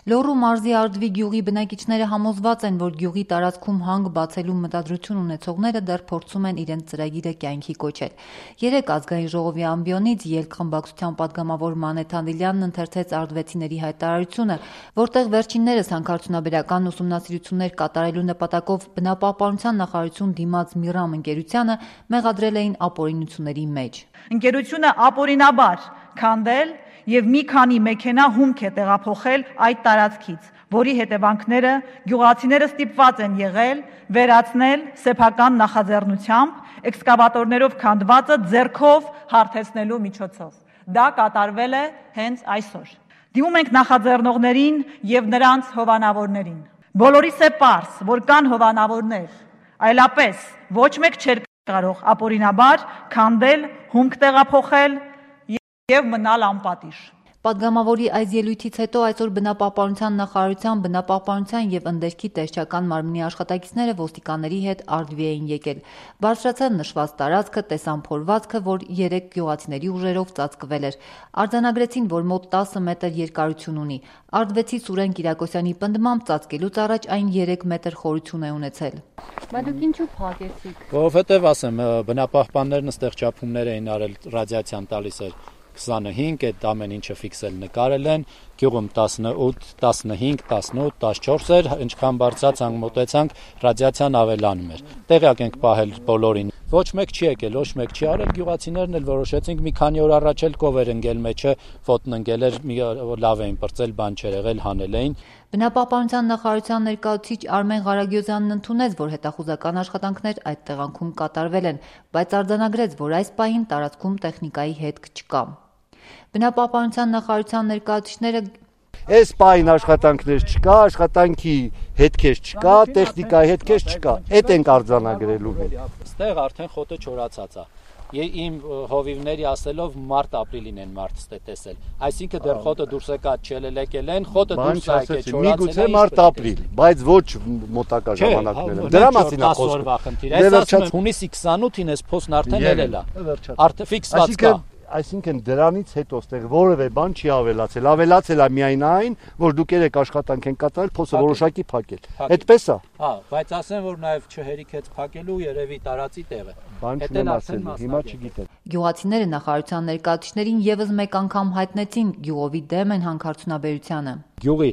Լոռու մարզի Արդվի գյուղի բնակիչները համոզված են, որ գյուղի տարածքում հանք բացելու մտադրություն ունեցողները դեռ փորձում են իրենց ծրագիրը կյանքի կոչել։ Երեկ ազգային ժողովի ամբիոնից ելք խմբակցության պատգամավոր Մանեթ Անդիլյանն ընթերցեց արդվեցիների հայտարարությունը, որտեղ վերջիններս հանքարդյունաբերական ուսումնասիրություններ կատարելու նպատակով բնապահպանության նախարարություն դիմաց Միրամ ընկերությանը մեղադրել էին ապօրինությունների մեջ։ Ընկերությունը ապօրինաբար քանդել եւ մի քանի մեքենա հումք է տեղափոխել այդ տարածքից, որի հետևանքները գյուղացիները ստիպված են եղել վերացնել սեփական նախաձեռնությամբ էքսկավատորներով քանդվածը ձեռքով հարթեցնելու միջոցով։ Դա կատարվել է հենց այսօր։ Դիմում ենք նախաձեռնողներին եւ նրանց հովանավորներին։ Բոլորիս է պարզ, որ կան հովանավորներ, այլապես ոչ մեկ չէր կարող ապօրինաբար քանդել, հումք տեղափոխել եւ մնալ անպատիժ։ Պատգամավորի այս ելույթից հետո այսօր բնապահպանության նախարարության բնապահպանության եւ ընդերքի տեսչական մարմնի աշխատակիցները ոստիկանների հետ Արդվի էին եկել։ Բարձրացան նշված տարածքը, տեսան փորվածքը, որ 3 գյուղացիների ուժերով ծածկվել էր։ Արձանագրեցին, որ մոտ 10 մետր երկարություն ունի։ Արդվեցի Սուրեն Կիրակոսյանի պնդմամբ ծածկելուց առաջ այն 3 մետր խորություն է ունեցել։ Բայց դուք ինչու փակեցիք։ Որովհետև ասեմ, բնապահպաններն ստեղ չափումներ էին արել, ռադիացիան տալիս էր 25, այդ ամեն ինչը ֆիքսել նկարել են, գյուղում 18, 15, 18, 14 էր, ինչքան բարձրացանք մոտեցանք, ռադիացիան ավելանում էր։ Տեղյակ ենք պահել բոլորին։ Ոչ մեկ չի եկել, ոչ մեկ չի արել, գյուղացիներն էլ որոշեցինք մի քանի օր առաջ էլ կով էր ընկել մեջը, ոտն ընկել էր, լավ էին պրծել, բան չէր եղել, հանել էին։ Բնապահպանության նախարարության ներկայացուցիչ Արմեն Ղարագյոզյանն ընդունեց, որ հետախուզական աշխատանքներ այդ տեղանքում կատարվել են, բայց արձանագրեց, որ այս պահին տարածքում տեխնիկայի հետք չկա։ Բնապահպանության նախարարության ներկայացուցիչները Այս պահին աշխատանքներ չկա, աշխատանքի հետքեր չկա, տեխնիկայի հետքեր չկա, այդ ենք արձանագրելու մենք։ Ստեղ արդեն խոտը չորացած է։ Իմ հովիվների ասելով մարտ-ապրիլին են մարտստե տեսել։ Այսինքն դեռ խոտը դուրս եկած չելեկել են, խոտը դուրս է եկել, չորացել է։ Միգուցե մարտ-ապրիլ, բայց ոչ մոտակա ժամանակներում։ Դրա մասին է խոսքը։ Այս ասում եմ հունիսի 28-ին այս փոստն արդեն ելել է։ Արդեն ֆիքսված կա։ Այսինքն դրանից հետո ստեղ որևէ բան չի ավելացել։ Ավելացել է միայն այն, որ դուք երեք աշխատանք են կատարել, փոսը որոշակի փակել։ Այդպես է։ Հա, բայց ասեմ, որ նաև չհերիքեց փակելու երևի տարածի տեղը։ Բան չունեմ ասելու, հիմա չգիտեմ։ Գյուղացիները նախարարության ներկայացուցիչներին եւս մեկ անգամ հայտնեցին գյուղովի դեմ են հանքարդյունաբերությանը։ Գյուղի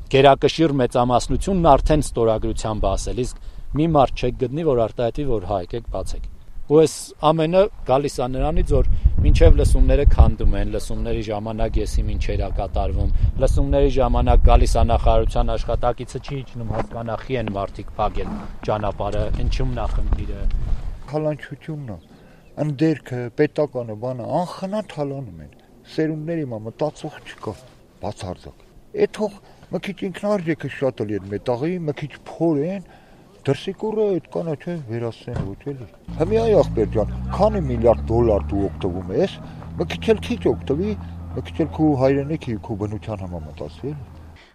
գերակշիռ մեծամասնությունն արդեն ստորագրությամբ ասել, իսկ մի մարդ չեք գտնի, որ արտահայտվի, որ հա եկեք բացեք։ Ու այս ամենը գալիս է նրանից, որ մինչև լսումները քանդում են, լսումների ժամանակ եսի մինչեր է կատարվում, լսումների ժամանակ գալիս է նախարարության աշխատակիցը չի իջնում հասկանա խի են մարդիկ փակել ճանապարհը, ինչումն է խնդիրը։ Հալանչությունն է, ընդերքը, պետականը, բանը անխնա թալանում են, սերունդների մա մտածող չկա, բացարձակ։ Այդ թող մի քիչ ինքնարժեքը շատ էլի այդ մետաղի, մի քիչ փոր են, դրսիկուրը այդ կանա չէ վերացնեն ոչ էլի։ Հիմա այ ախպեր ջան, քանի միլիարդ դոլար դու օգտվում ես, մի քիչ էլ քիչ օգտվի, մի քիչ էլ քո հայրենիքի քո բնության համամտածի էլի։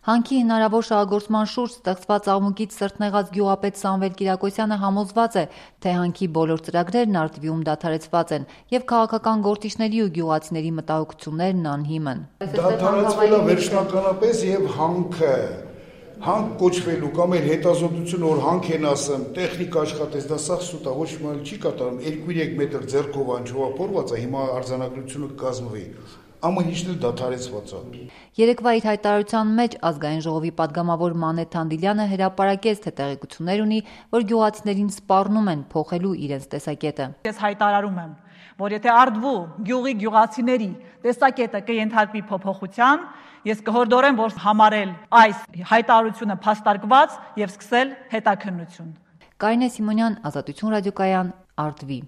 Հանքի հնարավոր շահագործման շուրջ ստեղծված աղմուկից սրտնեղած գյուղապետ Սամվել Կիրակոսյանը համոզված է, թե հանքի բոլոր ծրագրերն Արդվիում դադարեցված են եւ քաղաքական գործիչների ու գյուղացիների մտահոգություններն անհիմն։ Դադարեցվել է վերջնականապես եւ հանք կոչվելու կամ էլ հետազոտությունը որ հանք են ասեմ, տեխնիկա աշխատես, դա սա սուտ է, ոչ մի բան չի կատարում, 2-3 մետր ձեռքով անջովափորված է, հիմա արձանագրությունը կկազմվի։ Ամեն ինչն էլ դադարեցված է։ Երեկվա իր հայտարարության մեջ ազգային ժողովի պատգամավոր Մանեթ Անդիլյանը հրապարակեց, թե տեղեկություններ ունի, որ գյուղացիներին սպառնում են փոխելու իրենց տեսակետը։ Ես հայտարարում եմ, որ եթե Արդվու գյուղի գյուղացիների տեսակետը կենթարկվի փոփոխության, ես կհորդորեմ, որ համարել այս հայտարարությունը փաստարկված եւ սկսել հետաքննություն։ Կարինե Սիմոնյան, Ազատություն ռադիոկայան, Արդվի։